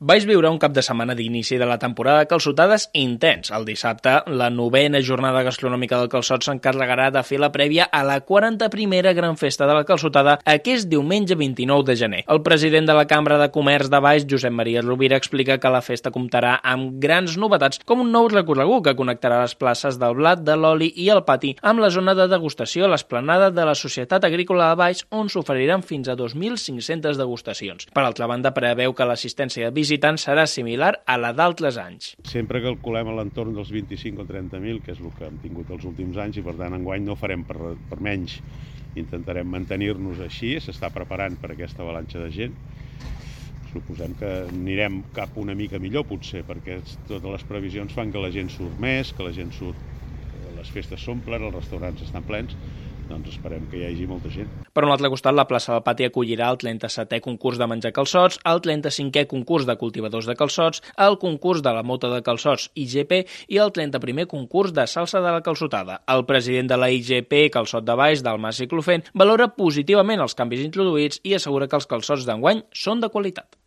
Vaig viure un cap de setmana d'inici de la temporada de calçotades intens. El dissabte, la 9a jornada gastronòmica del calçot s'encarregarà de fer la prèvia a la 41a Gran Festa de la Calçotada aquest diumenge 29 de gener. El president de la Cambra de Comerç de Valls, Josep Maria Rovira, explica que la festa comptarà amb grans novetats, com un nou recorregut que connectarà les places del blat, de l'oli i el pati amb la zona de degustació a l'esplanada de la Societat Agrícola de Valls, on s'oferiran fins a 2.500 degustacions. Per altra banda, preveu que l'assistència de visitants serà similar a la d'altres anys. Sempre calculem a l'entorn dels 25 o 30.000, que és el que hem tingut els últims anys, i per tant enguany no farem per menys. Intentarem mantenir-nos així, s'està preparant per aquesta avalanxa de gent. Suposem que anirem cap una mica millor, potser, perquè totes les previsions fan que la gent surt més, que la gent surt, les festes s'omplen, els restaurants estan plens, doncs esperem que hi hagi molta gent. Per un altre costat, la plaça del Pati acollirà el 37è concurs de menjar calçots, el 35è concurs de cultivadors de calçots, el concurs de la mota de calçots IGP i el 31è concurs de salsa de la calçotada. El president de la IGP Calçot de Valls, Dalmasi Clofent, valora positivament els canvis introduïts i assegura que els calçots d'enguany són de qualitat.